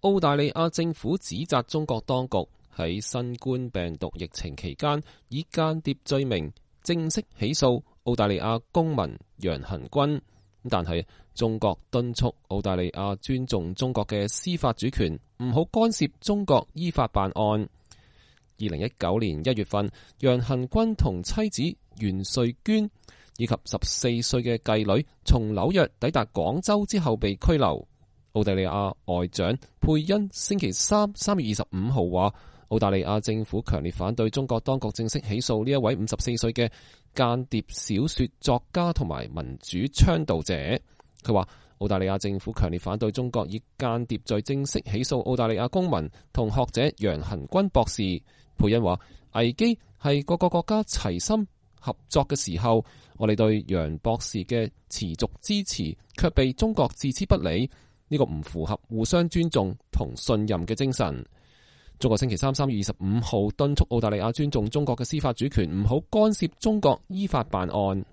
澳大利亞政府指責中國當局喺新冠病毒疫情期間以間諜罪名正式起訴澳大利亞公民楊恆均，但係中國敦促澳大利亞尊重中國嘅司法主權，唔好干涉中國依法辦案。2019年1月份，楊恆均同妻子袁瑞娟以及14歲嘅繼女從紐約抵達廣州之後被拘留。澳大利亞外長佩恩星期三3月25號話，澳大利亞政府強烈反對中國當局正式起訴呢一位54歲嘅間諜小說作家同埋民主倡導者。佢話澳大利亞政府強烈反對中國以間諜罪正式起訴澳大利亞公民同學者楊恆均博士。佩恩話，危機係各個國家齊心合作嘅時候，我哋對楊博士嘅持續支持卻被中國置之不理，呢個唔符合互相尊重同信任嘅精神。中國星期3月25號敦促澳大利亞尊重中國嘅司法主權，唔好干涉中國依法辦案。